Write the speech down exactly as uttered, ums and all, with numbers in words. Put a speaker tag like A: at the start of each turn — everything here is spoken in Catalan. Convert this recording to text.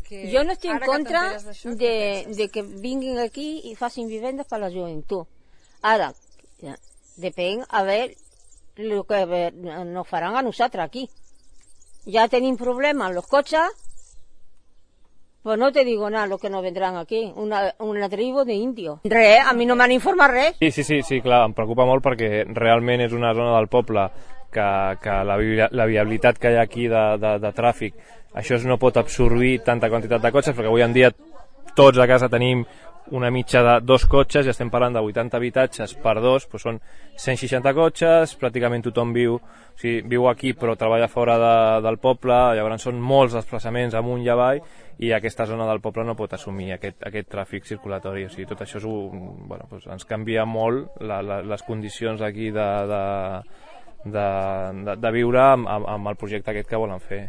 A: que
B: jo no estic en
A: ara que
B: contra
A: t'enteres d'això, què
B: de,
A: penses?
B: de que vinguin aquí i facin vivendes per a la joventut. Ara, ja, depèn a veure el que nos faran a nosaltres aquí. Ya tenim problemes los cotxes, pues no te digo nada lo que nos vendrán aquí, una, una tribu d'indios. Res, a mi no m'han informat res.
C: Sí, sí, sí, sí, clar, em preocupa molt perquè realment és una zona del poble que, que la, la viabilitat que hi ha aquí de, de, de tràfic, això no pot absorbir tanta quantitat de cotxes, perquè avui en dia tots a casa tenim una mitja de dos cotxes, i estem parlant de vuitanta habitatges per dos, doncs són cent seixanta cotxes, pràcticament tothom viu, o sigui, viu aquí però treballa fora de, del poble, llavors són molts desplaçaments amunt i avall, i aquesta zona del poble no pot assumir aquest, aquest tràfic circulatori. O sigui, tot això és un, bueno, doncs ens canvia molt la, la, les condicions aquí de, de, de, de, de viure amb, amb el projecte aquest que volen fer.